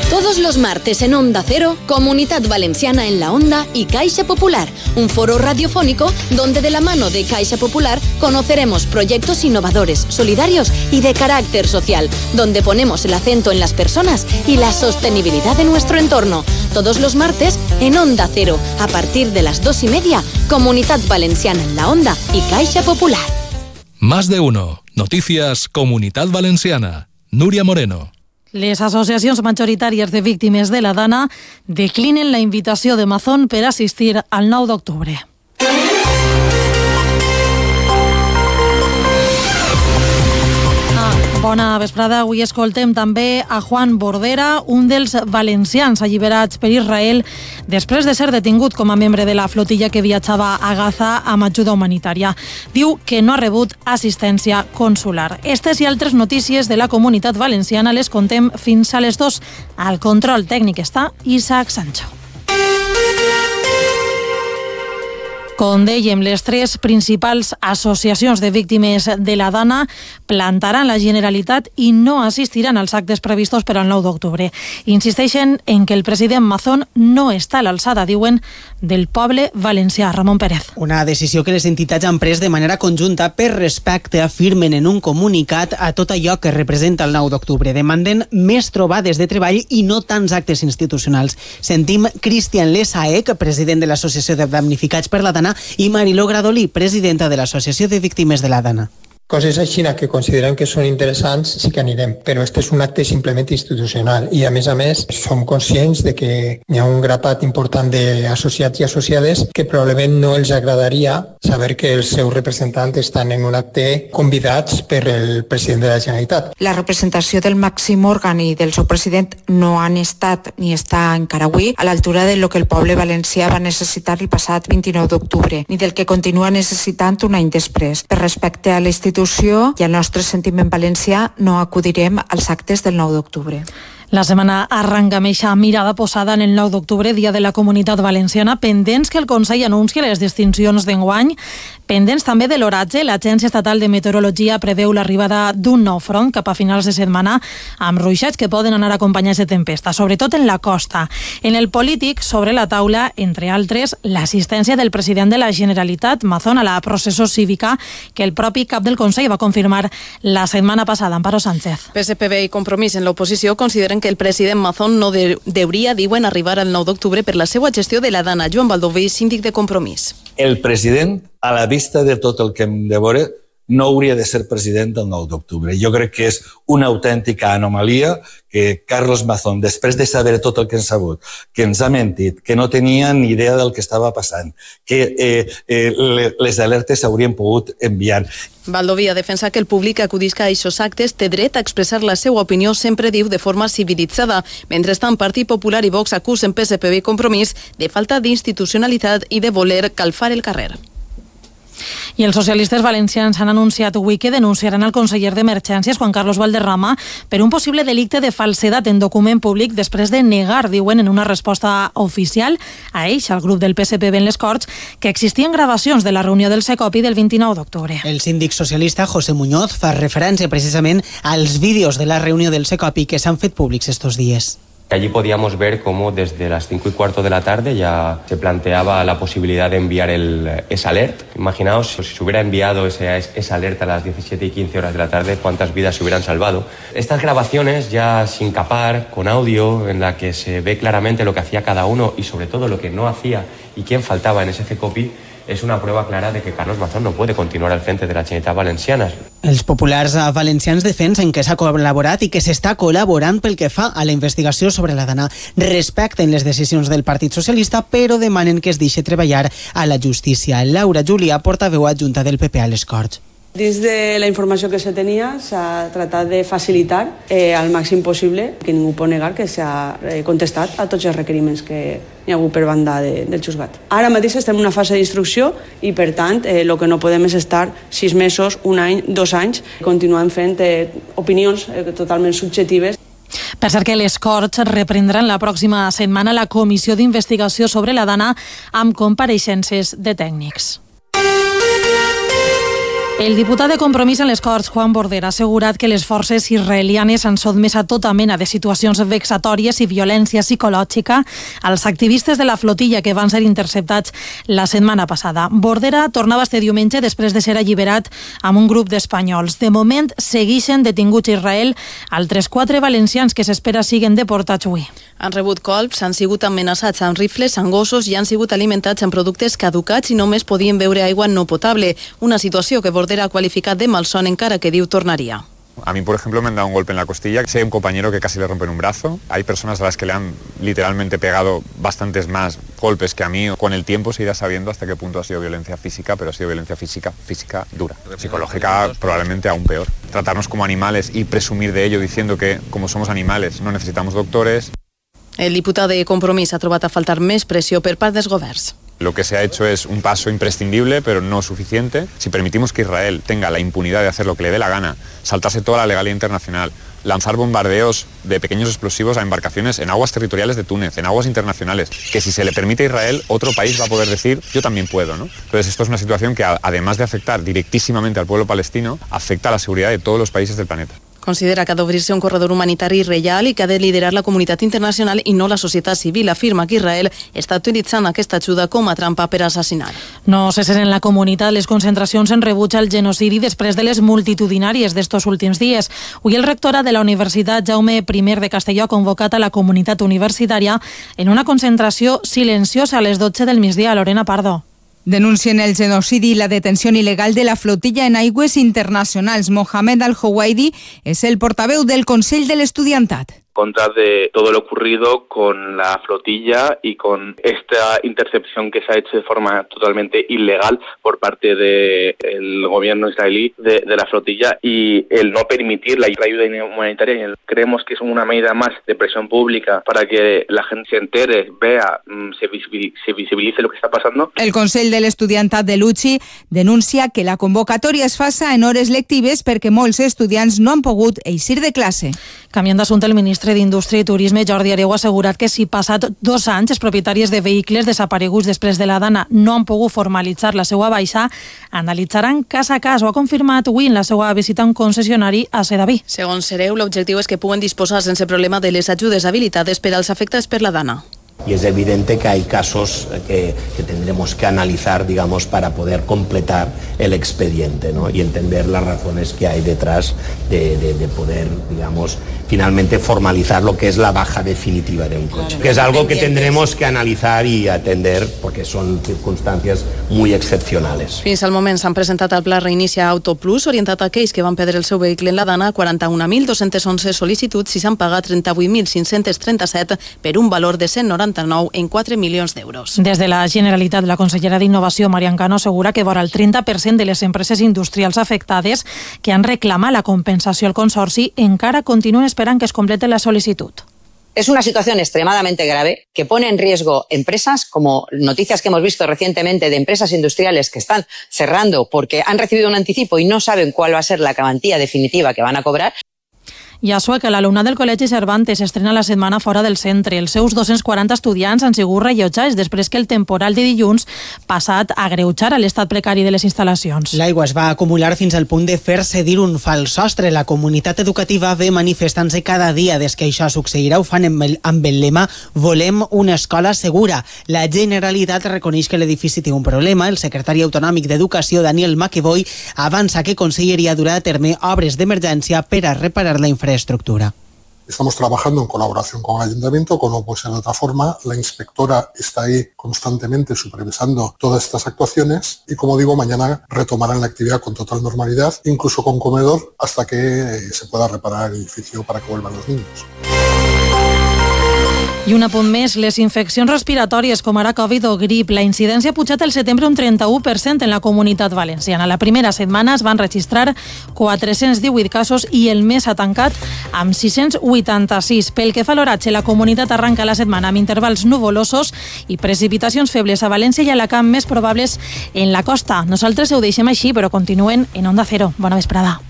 Todos los martes en Onda Cero, Comunidad Valenciana en la Onda y Caixa Popular, un foro radiofónico donde de la mano de Caixa Popular conoceremos proyectos innovadores, solidarios y de carácter social, donde ponemos el acento en las personas y la sostenibilidad de nuestro entorno. Todos los martes en Onda Cero, a partir de las 2:30, Comunidad Valenciana en la Onda y Caixa Popular. Más de uno. Noticias Comunitat Valenciana. Núria Moreno. Les associacions majoritàries de víctimes de la Dana declinen la invitació de Mazón per assistir al 9 d'octubre. Bona vesprada. Avui escoltem també a Juan Bordera, un dels valencians alliberats per Israel després de ser detingut com a membre de la flotilla que viatjava a Gaza amb ajuda humanitària. Diu que no ha rebut assistència consular. Estes i altres notícies de la Comunitat Valenciana les contem fins a les 2. Al control tècnic està Isaac Sancho. Com dèiem, les tres principals associacions de víctimes de la Dana plantaran la Generalitat i no assistiran als actes previstos per al 9 d'octubre. Insisteixen en que el president Mazón no està a l'alçada, diuen, del poble valencià. Ramon Pérez. Una decisió que les entitats han pres de manera conjunta per respecte, afirmen en un comunicat, a tot allò que representa el 9 d'octubre. Demanden més trobades de treball i no tants actes institucionals. Sentim Cristian Lesaec, president de l'Associació de Damnificats per la Dana, i Mariló Gradolí, presidenta de l'Associació de Víctimes de la Dana. Coses així que considerem que són interessants sí que anirem, però este és un acte simplement institucional i a més som conscients de que hi ha un grapat important d'associats i associades que probablement no els agradaria saber que els seus representants estan en un acte convidats per el president de la Generalitat. La representació del màxim òrgan i del seu president no han estat ni està encara avui a l'altura de lo que el poble valencià va necessitar el passat 29 d'octubre, ni del que continua necessitant un any després. Per respecte a l'institució i al nostre sentiment valencià, no acudirem als actes del 9 d'octubre. La setmana arranca amb eixa mirada posada en el 9 d'octubre, dia de la Comunitat Valenciana, pendents que el Consell anuncia les distincions d'enguany, pendents també de l'oratge. L'Agència Estatal de Meteorologia preveu l'arribada d'un nou front cap a finals de setmana, amb ruixats que poden anar acompanyats de tempesta, sobretot en la costa. En el polític, sobre la taula, entre altres, l'assistència del president de la Generalitat, Mazón, a la processó cívica que el propi cap del Consell va confirmar la setmana passada. Amparo Sánchez. PSPB i Compromís en l'oposició consideren que el president Mazón no deuria, diuen, arribar al 9 d'octubre per la seva gestió de la Dana. Joan Baldoví, síndic de Compromís. El president, a la vista de tot el que hem de veure, no hauria de ser president el 9 d'octubre. Jo crec que és una autèntica anomalia que Carlos Mazón, després de saber tot el que hem sabut, que ens ha mentit, que no tenia ni idea del que estava passant, que les alertes s'haurien pogut enviar. Baldoví ha defensat que el públic que acudisca a aquests actes té dret a expressar la seva opinió, sempre diu, de forma civilitzada. Mentrestant, Partit Popular i Vox acusen PSPB i Compromís de falta d'institucionalitat i de voler calfar el carrer. I els socialistes valencians han anunciat avui que denunciaran el conseller d'Emergències, Juan Carlos Valderrama, per un possible delicte de falsedat en document públic després de negar, diuen, en una resposta oficial a ells, al grup del PSPB en les Corts, que existien gravacions de la reunió del Secopi del 29 d'octubre. El síndic socialista José Muñoz fa referència precisament als vídeos de la reunió del Secopi que s'han fet públics estos días. Allí podíamos ver cómo desde las 5:15 de la tarde ya se planteaba la posibilidad de enviar esa alert. Imaginaos si se hubiera enviado esa alerta a las 17:15 de la tarde, cuántas vidas se hubieran salvado. Estas grabaciones ya sin capar, con audio, en la que se ve claramente lo que hacía cada uno y sobre todo lo que no hacía y quién faltaba en ese CECOPI, és una prova clara de que Carlos Mazón no puede continuar al frente de la Generalitat Valenciana. Els populars valencians defensen que s'ha col·laborat i que s'està col·laborant pel que fa a la investigació sobre la Dana. Respecten les decisions del Partit Socialista, però demanen que es deixi treballar a la justícia. Laura Julià, portaveu adjunta del PP a les Corts. Dins de la informació que se tenia s'ha tratat de facilitar al màxim possible, que ningú pot negar que s'ha contestat a tots els requeriments que hi ha hagut per banda del juzgat. Ara mateix estem en una fase d'instrucció i per tant el que no podem és estar 6 mesos, un any, 2 anys continuant fent opinions totalment subjectives. Per cert que les Corts reprendran la pròxima setmana la comissió d'investigació sobre la Dana amb compareixences de tècnics. El diputat de Compromís en les Corts, Juan Bordera, ha assegurat que les forces israelianes han sotmès a tota mena de situacions vexatòries i violència psicològica als activistes de la flotilla que van ser interceptats la setmana passada. Bordera tornava este diumenge després de ser alliberat amb un grup d'espanyols. De moment, segueixen detinguts a Israel altres 4 valencians que s'espera siguen deportats avui. Han rebut colps, han sigut amenaçats amb rifles, amb gossos i han sigut alimentats amb productes caducats i només podien beure aigua no potable. Una situació que Bordera ha qualificat de malson, encara que diu tornaria. A mí, por ejemplo, me han dado un golpe en la costilla. Sé un compañero que casi le rompen un brazo. Hay personas a las que le han literalmente pegado bastantes más golpes que a mí. Con el tiempo se irá sabiendo hasta qué punto ha sido violencia física, pero ha sido violencia física dura. Psicológica probablemente aún peor. Tratarnos como animales y presumir de ello diciendo que, como somos animales, no necesitamos doctores. El diputat de Compromís ha trobat a faltar més pressió per part dels governs. Lo que se ha hecho es un paso imprescindible, pero no suficiente. Si permitimos que Israel tenga la impunidad de hacer lo que le dé la gana, saltarse toda la legalidad internacional, lanzar bombardeos de pequeños explosivos a embarcaciones en aguas territoriales de Túnez, en aguas internacionales, que si se le permite a Israel, otro país va a poder decir, yo también puedo, ¿no? Entonces esto es una situación que, además de afectar directísimamente al pueblo palestino, afecta a la seguridad de todos los países del planeta. Considera que ha d'obrir-se un corredor humanitari real i que ha de liderar la comunitat internacional i no la societat civil. Afirma que Israel està utilitzant aquesta ajuda com a trampa per assassinar. No cesen en la comunitat les concentracions en rebuig al genocidi després de les multitudinàries d'estos últims dies. Avui el rectorat de la Universitat Jaume I de Castelló ha convocat a la comunitat universitària en una concentració silenciosa a les 12 del migdia. Lorena Pardo. Denuncien el genocidi y la detención ilegal de la flotilla en aigües internacionals. Mohamed Al-Houaidi es el portaveu del Consell de l'Estudiantat. Contra de todo lo ocurrido con la flotilla y con esta intercepción que se ha hecho de forma totalmente ilegal por parte del gobierno israelí de la flotilla y el no permitir la ayuda humanitaria. Creemos que es una medida más de presión pública para que la gente se entere, vea, se visibilice lo que está pasando. El Consell de l'Estudiantat de l'UCI denuncia que la convocatòria es faça en hores lectives perquè molts estudiants no han pogut eixir de classe. Canviant d'assumpte, el ministre d'Indústria i Turisme, Jordi Hereu, ha assegurat que si passat 2 anys els propietaris de vehicles desapareguts després de la Dana no han pogut formalitzar la seva baixa, analitzaran cas a cas. Ho ha confirmat avui en la seva visita a un concessionari a Sedaví. Segons Hereu, l'objectiu és que puguen disposar sense problema de les ajudes habilitades per als afectats per la Dana. Y es evidente que hay casos que tendremos que analizar, digamos, para poder completar el expediente, ¿no? Y entender las razones que hay detrás de poder, digamos, finalmente formalizar lo que es la baja definitiva de un coche. Que es algo que tendremos que analizar y atender porque son circunstancias muy excepcionales. Fins al moment s'han presentat al Pla Reinicia Auto Plus, orientat a aquells que van perdre el seu vehicle en la Dana, 41.211 sol·licituds i s'han pagat 38.537 per un valor de 199 en 4 milions d'euros. Des de la Generalitat, la consellera d'Innovació, Marian Cano, assegura que vora el 30% de les empreses industrials afectades que han reclamat la compensació al Consorci encara continuen esperant que es complete la sol·licitud. Es una situación extremadamente grave que pone en riesgo empresas, como noticias que hemos visto recientemente de empresas industriales que están cerrando porque han recibido un anticipo y no saben cuál va a ser la cuantía definitiva que van a cobrar. I a Sueca, l'alumnat del Col·legi Cervantes estrena la setmana fora del centre. Els seus 240 estudiants han sigut rellotjats després que el temporal de dilluns passat a agreujar l'estat precari de les instal·lacions. L'aigua es va acumular fins al punt de fer cedir un fals sostre. La comunitat educativa ve manifestant-se cada dia des que això succeirà. Ho fan amb el lema «Volem una escola segura». La Generalitat reconeix que l'edifici té un problema. El secretari autonòmic d'Educació, Daniel Maqueboy, avança que Conselleria durà a terme obres d'emergència per a reparar la infraestructura. Estamos trabajando en colaboración con el Ayuntamiento, como no puede ser de otra forma. La inspectora está ahí constantemente supervisando todas estas actuaciones y, como digo, mañana retomarán la actividad con total normalidad, incluso con comedor, hasta que se pueda reparar el edificio para que vuelvan los niños. I un apunt més, les infeccions respiratòries com ara Covid o grip. La incidència ha pujat al setembre un 31% en la comunitat valenciana. La primera setmana es van registrar 418 casos i el mes ha tancat amb 686. Pel que fa a l'oratge, la comunitat arranca la setmana amb intervals nuvolosos i precipitacions febles a València i a Alacant, més probables en la costa. Nosaltres ho deixem així, però continuen en Onda Cero. Bona vesprada.